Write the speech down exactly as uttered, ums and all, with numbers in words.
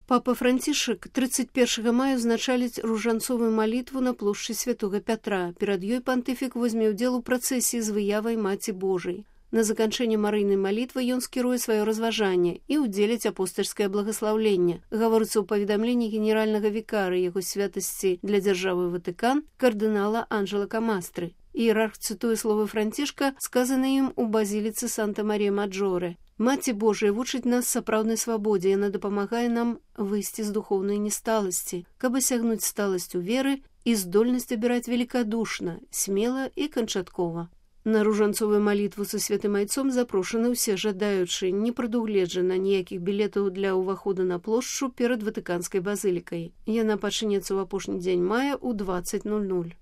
Папа Францішак тридцать першага мая ўзначаліць ружанцовую малітву на плошчы Святога Пятра. Перад ёй пантыфік возьме ўдзел у працэсіі з выявай Маці Божай. На заканчэнне марыйнай малітвы ён скіруе сваё разважанне і ўдзеліць апостальскае благаслаўленне. Гаворыцца ў паведамленні генеральнага вікара яго святасці для дзяржавы Ватыкан кардынала Анджела Камастры. Іерарх цытуе словы Францішка, сказаныя ім у базіліцы Санта-Марія-Маджоре. Маці Божая вучыць нас сапраўднай свабодзе, яна дапамагае нам выйсці з духоўнай несталасці, каб асягнуць сталасць у веры і здольнасць абіраць великадушна, смела і канчаткова. На ружанцовую малітву са святым айцом запрошаны ўсе жадаючыя, не прадугледжана ніякіх білетаў для ўвахода на плошчу перад Ватыканскай базылікай. Яна пачнецца ў апошні дзень мая ў дваццаць ноль ноль.